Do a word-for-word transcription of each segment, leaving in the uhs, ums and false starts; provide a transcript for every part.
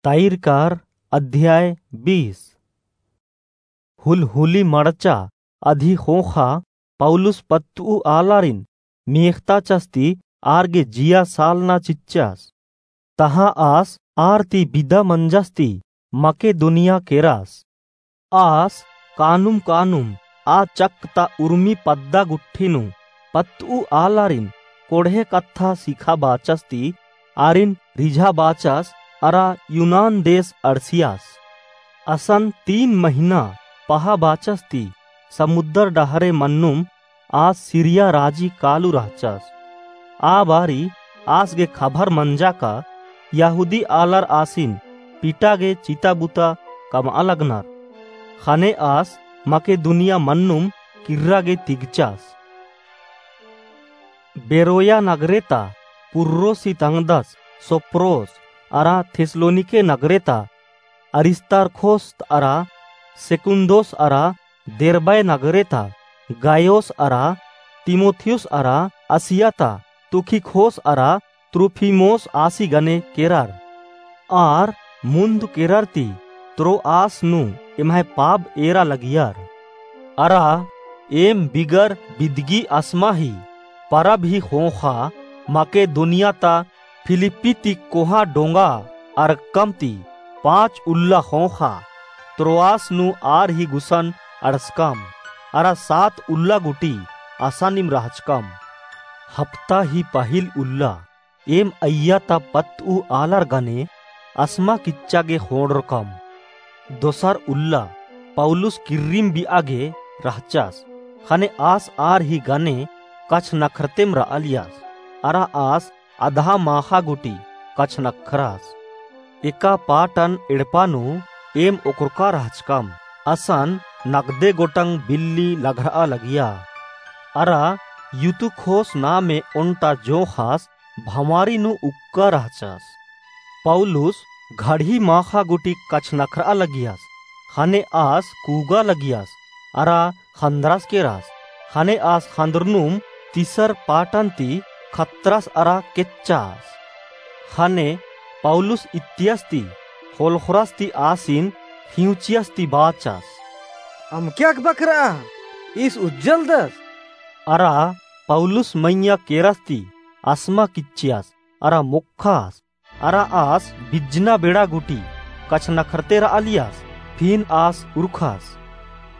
तैरकार अध्याय बीस। हुलहुली मड़चा अदी ख़ोख़ा पौलुस पत्तऊ आलारिन मेख़ताचस ती आर गे जिया सालना चिच्चस। तहाँ आस आर ती बिदा मंजस ती मकेदुनिया केरस। आस कानुम कानुम आ चक्क ता उर्मी पद्दा गुट्ठी नू पत्तऊ आलारिन कोड़हे कत्था सिखाबाचस ती आरिन रिझाबाचस अरा यूनान देस अंड़सियस। असन तीन महिना पहाबाचस ती समुद्दर डहरे मन्नुम आस सीरिया राजी कालू रहचस। आ बारी आस गे खबर मंजा का यहूदी आलर आसिन पीटा गे चिता बुता कमआ लगनर। ख़ने आस मकेदुनिया मन्नुम किर्रा गे तिगचस। बेरोया नगरे ता पुर्रोसी तंगदस सोप्रोस अरा थेस्सलोनिके नगरे ता अरिस्तार्खोस अरा सेकुन्दोस अरा देरबै नगरे ता गायोस अरा तीमुथियुस अरा आसिया ता तुखिकोस अरा त्रुफिमोस आसी गने केरर। आर मुन्द केरर ती त्रोआस नू एम्है पाब एरा लगियर। अरा एम बिगर बिदगी असमा ही परब ही ख़ोख़ा मकेदुनिया ता फिलिप्पी ती कोहाँ डोंगा अरक्कम ती पाँच उल्ला ख़ोख़ा त्रोआस नू आर ही गुसन अंड़सकम अरा सात उल्ला गुटी असानिम रहचकम। हप्ता ही पहिल उल्ला एम अइय्या ता पत्तऊ आलर गने असमा किच्चा गे ख़ोंड़रकम। दोसर उल्ला पौलुस किर्रिम बिआ गे रहचस। ख़ने आस आर ही गने कछनख्रतेम रआलियस। अरा आस अदहा माख़ा गुटी कछनख्रस। एका पाटन एड़पा नू एम ओक्रोका रहचकम। असन नगदे गोटंग बिल्ली लघरआ लगिया। अरा यूतुख़ोस नामे ओन्टा जोंख़स भंवारी नू उक्का रहचस। पौलुस घड़ी माख़ा गुटी कछनख्रआ लगियस। ख़ने आस कूगा लगियस अरा ख़न्दरस केरस। ख़ने आस ख़न्दरनुम तीसर पाटन ती खतरस अरा केच्चस। ख़ने पौलुस इत्तियस ती ख़ोलख़रस ती आसिन ख़िउँचियस ती बाचस, अमके अख़बा केरा, ईस उज्जलदस। अरा पौलुस मइय्याँ केरस ती असमा किच्चियस अरा मोख़स। अरा आस बिज्जना बेड़ा गुटी कछनख्रते रआलियस। फिन आस उरख़स।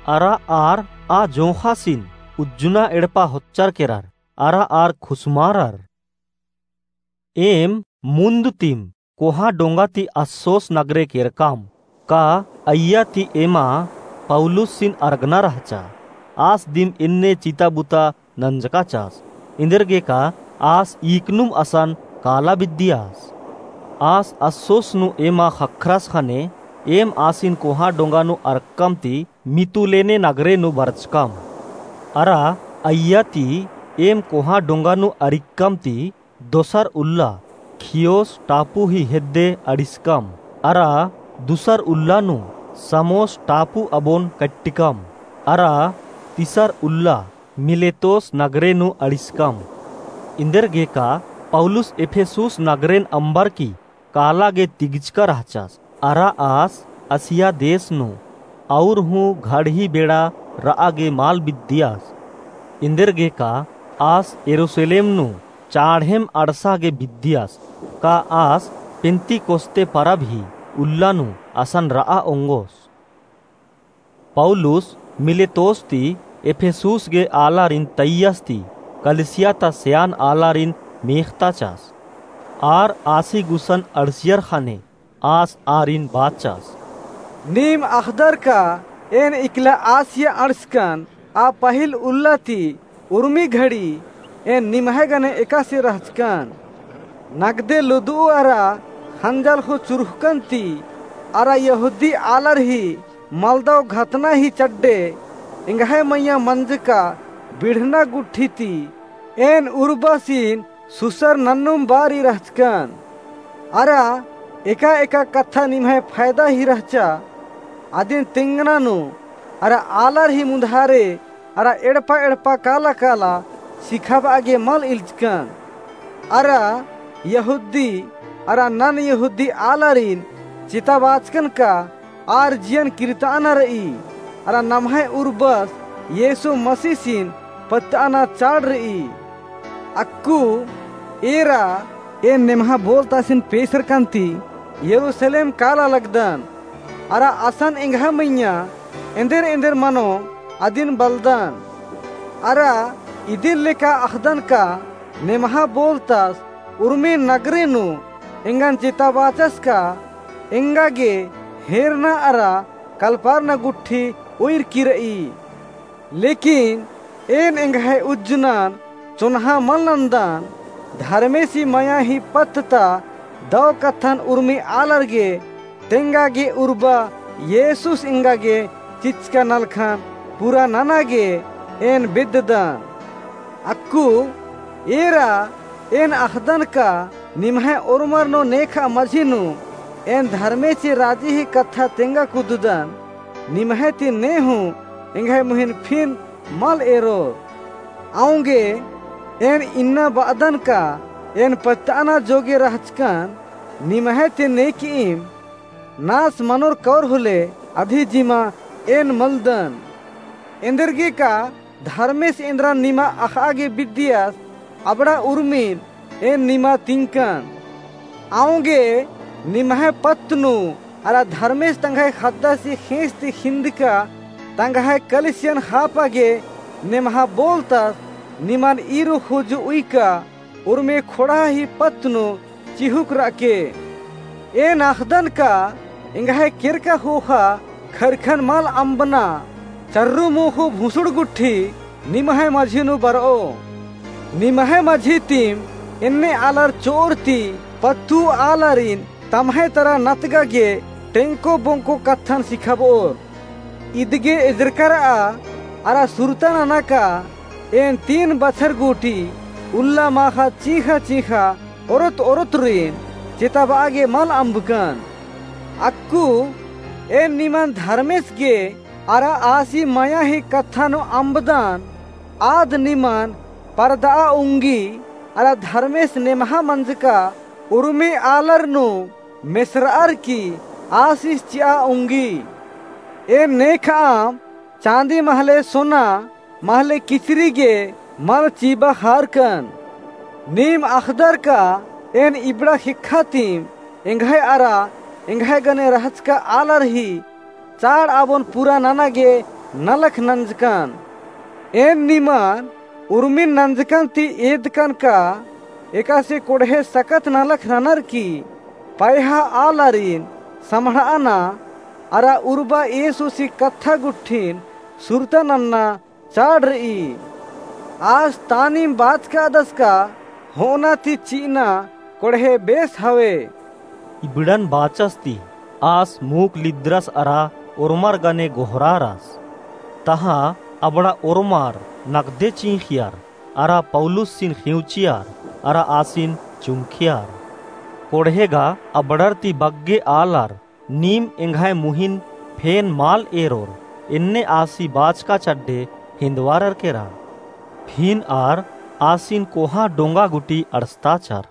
अरा आर आ जोंख़ासिन उज्जना एड़पा होच्चर केरर अरा आर खुसमारर। एम मुन्द तिम कोहाँ डोंगा ती अस्सोस नगरे केरकम। का अइय्या ती एमा पौलुसिन अरगना रहचा। आस दिम एन्ने चिता बुता नंजकाचस। एन्देरगेका आस ईकनुम असन काला बिद्दियस। आस अस्सोस नू एमा ख़क्खरस ख़ने एम आसिन कोहाँ डोंगा नू अरक्कम ती मितुलेने नगरे नू बरचकम। अरा अइय्या ती एम कोहाँ डोंगा नू अरिक्कम ती दोसर उल्ला खियोस टापू ही हेद्दे अंड़िसकम। अरा दुसर उल्ला नू समोस टापू अबोन कट्टिकम। अरा तिसर उल्ला मिलेतोस नगरे नू अंड़िसकम। एन्देरगेका पौलुस एफेसुस नगरेन अम्बरकी काला गे तिगचका रहचस। अरा आस आसिया देस नू अउर हूँ घड़ी बेड़ा रआ गे मल बिद्दियस। एन्देरगेका आस यरूसलेम नू चाँड़ेम अंड़सा गे बिद्दियस। का आस पेन्तिकोस्ते परब ही उल्ला नू असन रआ ओंगोस। पौलुस मिलेतोस ती एफेसुस गे आलारिन तइय्यस ती कलिसिया ता सेयान आलारिन मेख़ताचस। आर आसी गुसन अंड़सियर ख़ने आस आरिन बाचस। नीम अख़दर का एन इकला आसिया अंड़सकन, आ पहिल उल्ला ती उर्मी घड़ी एन निम्है गने एकासे रहचकन। नगदे लुदुउ अरा ख़ंजल हूँ चुरुख़कन ती अरा यहूदी आलर ही मलदव घतना ही चड्डे एंग्है मइय्याँ मंजका बिढ़ना गुट्ठी ती एन उर्बासिन सुसर नन्नुम बारी रहचकन। अरा एका एका कत्था निम्है फैदा ही रहचा। अदिन तेंगना नू अरा आलर ही मुन्धारे अरा एड़पा एड़पा काला काला सिखाबआ गे मल इल्चकन। अरा यहूदी अरा नन यहूदी आलारिन चेताबाचकन का आर जियन किर्ताना र'ई, अरा नम्है उर्बस येसु मसीसिन पत्त'अना चाड़ र'ई। अक्कु एरा एन नेम्हा बोलतासिन पेसरकन ती यरूसलेम काला लगदन, अरा असन एंग्है मइय्याँ एन्देर एन्देर मनो अदिन बलदन। अरा इदिन लेका अख़दन का नेम्हा बोलतास उर्मी नगरे नू एंगन चेताबाचस का एंगा गे हेरना अरा कलपारना गुट्ठी उइर की र'ई। लेकिन एन एंग्है उज्जुनन चोन्हा मल नन्दन, धर्मेसी मया ही पत्त ता दव कत्थन उर्मी आलर गे तेंगा गे उर्बा येसुस एंगा गे चिचका नलखन पूरा नना गे एन बेद्ददन। अक्कु एरा एन अख़दन का निम्है ओर्मर नू नेखा मझी नू एन धर्मेसी राजी ही कत्था तेंगा कुद्ददन, निम्है ती ने हूँ एंग्है मुहिन फिन मल एरोर। औंगे एन इन्ना ब'अदन का एन पत्त'अना जोगे रहचकन निम्है ती नेकइम नास मनोर कौर होले अदी जिमा एन मलदन। एन्देरगे का धर्मेस एन्द्रन निमा अख़'आ गे बिद्दियस अबड़ा उर्मिन एन निमा तिंकन। औंगे निम्है पत्त नू अरा धर्मेस तंग्है ख़द्दासी ख़ेंस ती ख़िंदका तंग्है कलिसियन ख़ापा गे नेम्हा बोलतास निमन ईरु ख़ुजु उइका उर्मी ख़ोंड़हा ही पत्त नू चिहुक र'अके। एन अख़दन का एंग्है केरका ख़ोख़ा ख़रख़न मल अम्बना, चर्रु मोख़ो भुसुड़ गुट्ठी निम्है मझी नू बर'ओ। निम्है मझी तिम एन्ने आलर चोर ती पत्तु आलारिन तम्है तरा नतगा गे टेंको बोंको कत्थन सिखाब'ओर। इदगे एजरका र'आ अरा सुरता नना का एन तीन बछर गूटी उल्ला माख़ा चींख़ा चींख़ा ओरोत ओरोतरिन चेताब'आ गे मल अम्बकन। अक्कु एन निमन धर्मेस गे अरा आसी मया ही कत्था नू अम्बदन, आद निमन परद'आ उंगी अरा धर्मेस नेम्हा मंजका उर्मी आलर नू मेसर'अर की आसिस चि'आ उंगी। एन नेख'अम चाँदी महले सोना महले किचरी गे मल चिबा ख़ारकन। नीम अख़दर का एन इबड़ा ख़ेक्खा तिम एंग्है अरा एंग्है गने रहचका आलर ही चाड़ आबोन पूरा नना गे नलख नंजकन। एन निमन उर्मिन नंजकन ती एदकन का एकासे कोड़हे सकत नलख ननर की पैहा आलारिन सम्हड़'अना अरा उर्बा येसुसी कत्था गुट्ठिन सुरता नन्ना चाड़ र'ई। आस तानिम बाचकादस का हो'अना ती चि'अना कोड़हे बेस हवे। इबड़न बाचस ती आस मुख लिद्दरस अरा ओर्मर गने गोहरारस। तहाँ अबड़ा ओर्मर नगदे चींख़ियर अरा पौलुसिन ख़िंवचियर अरा आसिन चुंख़ियर। कोड़हे गा अबड़र ती बग्गे आलर नीम एंग्है मुहिन फेन मल एरोर, एन्ने आसी बाचका चड्डे हिन्दवारर केरा। फिन आर आसिन कोहाँ डोंगा गुटी अंड़सताचर।